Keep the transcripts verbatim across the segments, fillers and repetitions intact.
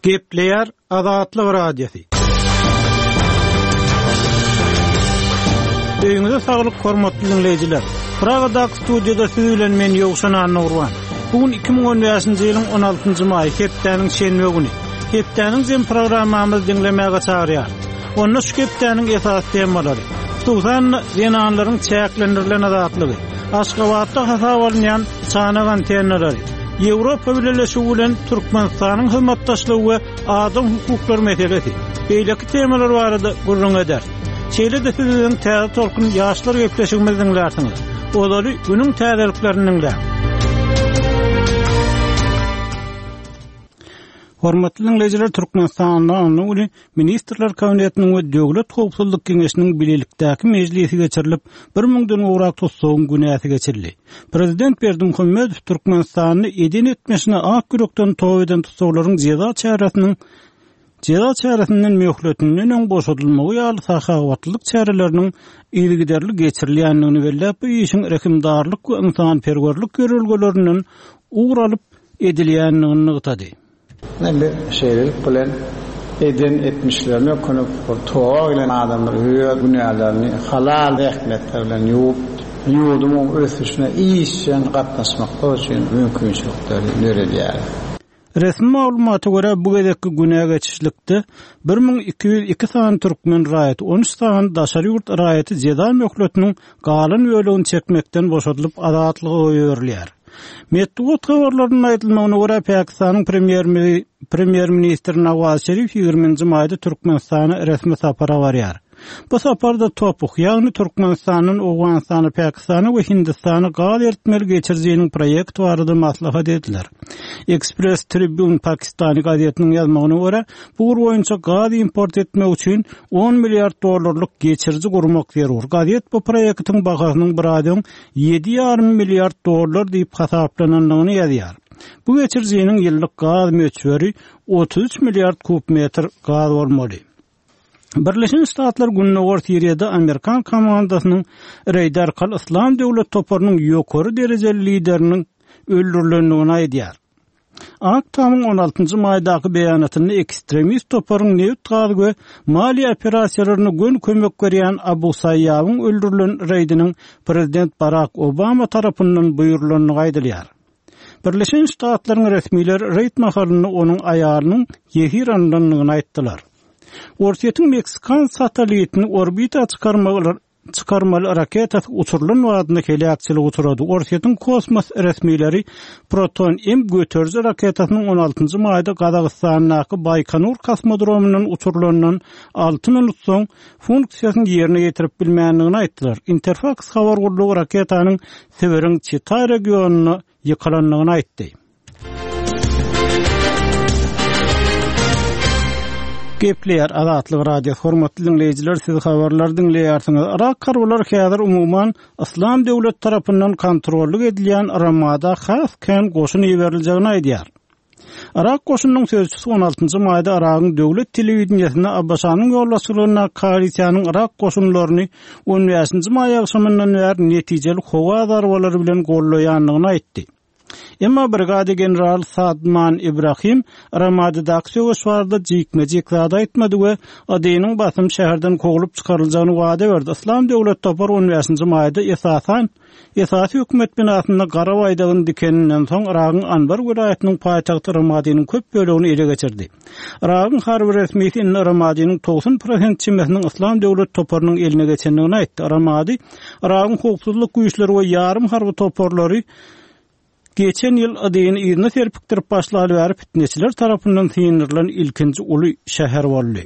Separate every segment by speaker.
Speaker 1: Gepleýär Azatlyk Radiosy. Öýüňize saglyk hormatly dinleýjiler. Pragadaky studiýada siz bilen men Ýowşan Annagurban. Bu gün iki müň on bäşinji ýylyň on altynjy maýy, hepdäniň şenbe güni. Hepdäniň jem programmamyzy diňlemäge çagyrýar. Onda şu hepdäniň esasy temalary, hususan-da zenanlaryň çäklendirilen azatlygy, Aşgabatda hasap alynýan çanak antennalary, Ýewropa Bileleşigi bilen Türkmenistanyň hyzmatdaşlygy we adam hukuklary meselesi, beýleki temalar barada gürrüň eder. Şeýle-de siz biziň Täze Tolkun ýaşlar gepleşigimizi diňlärsiňiz. Ozaly günüň täzeliklerini diňläň. Hormatly dinleýjiler, Türkmenistanda anna güni Ministrler Kabinetiniň we Döwlet Howpsuzlyk Geňeşiniň bilelikdäki mejlisi geçirilip, bir müňden gowrak tussagyň günäsi geçirildi. Prezident Berdimuhamedow Türkmenistany eden etmişine ak ýürekden toba eden tussaglaryň jeza çäresiniň jeza çäresinden möhletinden öň boşadylmagy ýaly sahawatlylyk çäreleriniň yzygiderli geçirilýändigini belläp, bu işiň rehimdarlyk we ynsanperwerlik ýörelgelerinden ugur alyp edilýändigini nygtady.
Speaker 2: Biz şeýlelik bilen eden etmişlerine ökünip, bir toba bilen adamlar öz günälerini halal zähmetler bilen ýuwup, ýurdumyň ösüşine işjeň gatnaşmaklar üçin mümkinçilikleri döredýär.
Speaker 1: Resmi maglumata görä bu gezekki günä geçişlikde bir müň iki ýüz iki sany türkmen raýaty, on üç sany daşary ýurt raýaty jeza möhletiniň galan bölegini çekmekden boşadylyp azatlyga goýberilýär. Metbugat habarlarynyň aýdylmagyna görä Pakistanyň premýer-mi-, premýer-ministri Nawaz Şerif ýigriminji maýda Türkmenistana resmi sapara barýar. Bu saparda Topuh, ýagny Türkmenistandan Owganystana, Pakistana we Hindistana gaz eritmeli geçirijiniň proýekti barada maslahat ediler. Express Tribune Pakistany gazetiniň ýazmagyna görä, bu ugur boýunça gaz import etmek üçin on milliard dollarlyk geçiriji gurmak zerur. Gazet bu proýektiň bahasynyň bir aýdan ýedi ýarym milliard dollar diýip hasaplanandygyny ýazýar. Bu geçirijiniň ýyllyk gaz möçberi otuz üç milliard kub metr gaz bolmaly. Birleşen Ştatlar Gündogar Siriýada Amerikan komandasynyň reýd arkaly Islam döwlet toparynyň ýokary derejeli lideriniň öldürilendigini aýdýar. Ak Tamyň on altynjy maýdaky beýanatynda ekstremist toparyň neft gaz we maliýe operasiýalaryna gön kömek berýän Abu Saýýawyň öldürilen reýdiniň prezident Barack Obama tarapyndan buýrulandygy aýdylýar. Birleşen Ştatlaryň resmileri reýd mahalynda onuň aýalynyň ýesir alynandygyny aýtdylar. Orsýetiň Meksikan satellitini orbita çykarmaly, çykarmaly raketasy uçurylan wagtynda heläkçilik uçurady. Orsýetiň kosmos resmileri Proton M göteriji raketasynyň on altynjy maýda Gazagystandaky Baýkonur kosmodromyndan uçurylandan alty minut soň funksiýasyny ýerine ýetirip bilmändigini aýtdylar. Interfax habar gullugy raketanyň Sibiriň Çita regionyna ýykylandygyny aýtdy. Gepleýär Azatlyk Radiosy. Hormatly dinleýjiler, siz habarlar dinleýärsiňiz. Irak harbylar häzir umuman Islam döwlet tarapyndan kontrollyk edilýän Ramada has kän goşun iberiljegini aýdýar. Irak goşunyň sözçüsi on altynjy maýda Iragyň döwlet telewideniýesinde A B Ş-nyň ýolbaşçylygynda koalisiýanyň Irak goşunlaryny on bäşinji maý agşamyndan bäri netijeli howa zarbalary bilen gollaýandygyny aýtdy. Emma brigada general Sadman İbrahim Ramadidaki söweş barada jikme-jik zat aýtmady we Adynyň basym şäherden kowlup çykaryljagyny wada berdi. Islam döwlet topary on bäşinji maýda esasan esasy hökümet binasynda gara baýdagyny dikeninden soň Iragyň Anbar welaýatynyň paýtagty Ramadiniň köp bölegini ele geçirdi. Iragyň harby resmisi indi Ramadiniň togsan prosent çemesiniň Islam döwlet toparynyň eline geçendigini aýtdy. Ramadi Iragyň howpsuzlyk güýçleri we ýarym harby toparlary geçen ýyl Adyny yzyna serpikdirip başlaly bäri fitneçiler tarapyndan syndyrylan ilkinji uly şäher boldy.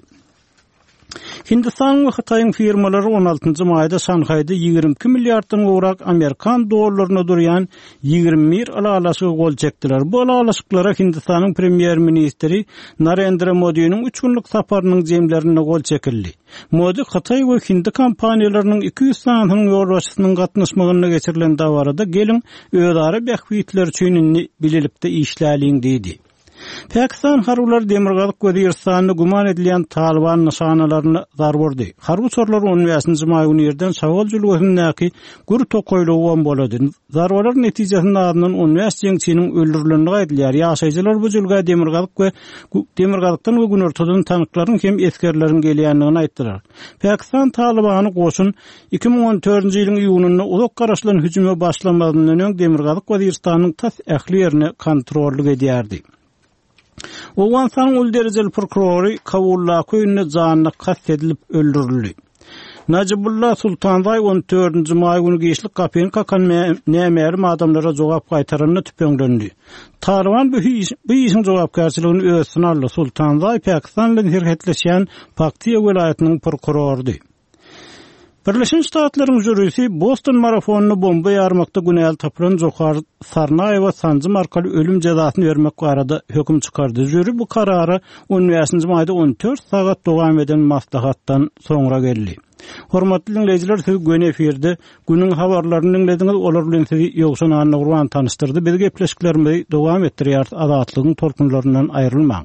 Speaker 1: Hindistanyň we Hytaýyň firmalary on altynjy maýda Şanhaýda ýigrimi iki milliarddan gowrak Amerikan dollaryna durýan ýigrimi bir ylalaşygy gol çekdiler. Bu ylalaşyklara Hindistanyň premýer-ministri Narendra Modiniň üç günlük saparynyň jemlerinde gol çekildi. Modi Hytaý we Hindi kompaniýalarynyň iki ýüz sanynyň ýolbaşçysynyň gatnaşmagynda geçirilen dabarada gelin özara bähbitler üçin indi bilelikde işläliň diýdi. Pakistan harbylary Demirgazyk Weziristanda güman edilýän Talyban nyşanalaryna zarba urdy. Harby uçarlar on bäşinji maý güni irden Şawal jülgesindäki gür tokaýlygy bombalady. Zarbalar netijesinde azyndan on bäş jeňçiniň öldürilendigi aýdylýar. Ýaşaýjylar bu jülgä Demirgazyk we Demirgazykdan we Günortadan tanklaryň hem esgerleriň gelýändigini aýtdylar. Pakistan Talybany goşun iki müň on dördünji ýylyň iýunynda uzak garaşylan hüjüme başlamazyndan öň Demirgazyk Weziristanyň tas ähli ýerine kontrollyk edýärdi. Owganystanyň uly derejeli prokurory Kabuldaky öýünde janyna kast edilip öldürildi. Najibullah Sultanzaý on dördünji maý güni giçlik gapyny kakan nämälim adamlara jogap gaýtaranda tüpeňlendi. Talyban bu iş, bu işiň jogapkärçiligini öz üstüne aldy. Sultanzaý Pakistan bilen serhetleşýän Paktiýa welaýatynyň prokurorydy. Birleşen Ştatlaryň jürisi Boston marafonyny bomba ýarmakda günäli tapylan Johar Sarnaýewa sanjym arkaly ölüm jezasyny bermek barada höküm çykardy. Jüri bu karara on bäşinji maýda on dört sagat dowam eden maslahatdan soňra geldi. Hormatly dinleýjiler, siz göni efirde günüň habarlaryny dinlediňiz, olar bilen sizi Ýowşan Annagurban tanyşdyrdy. Biz gepleşiklerimizi dowam etdirýäris. Azatlygyň tolkunlaryndan aýrylmaň.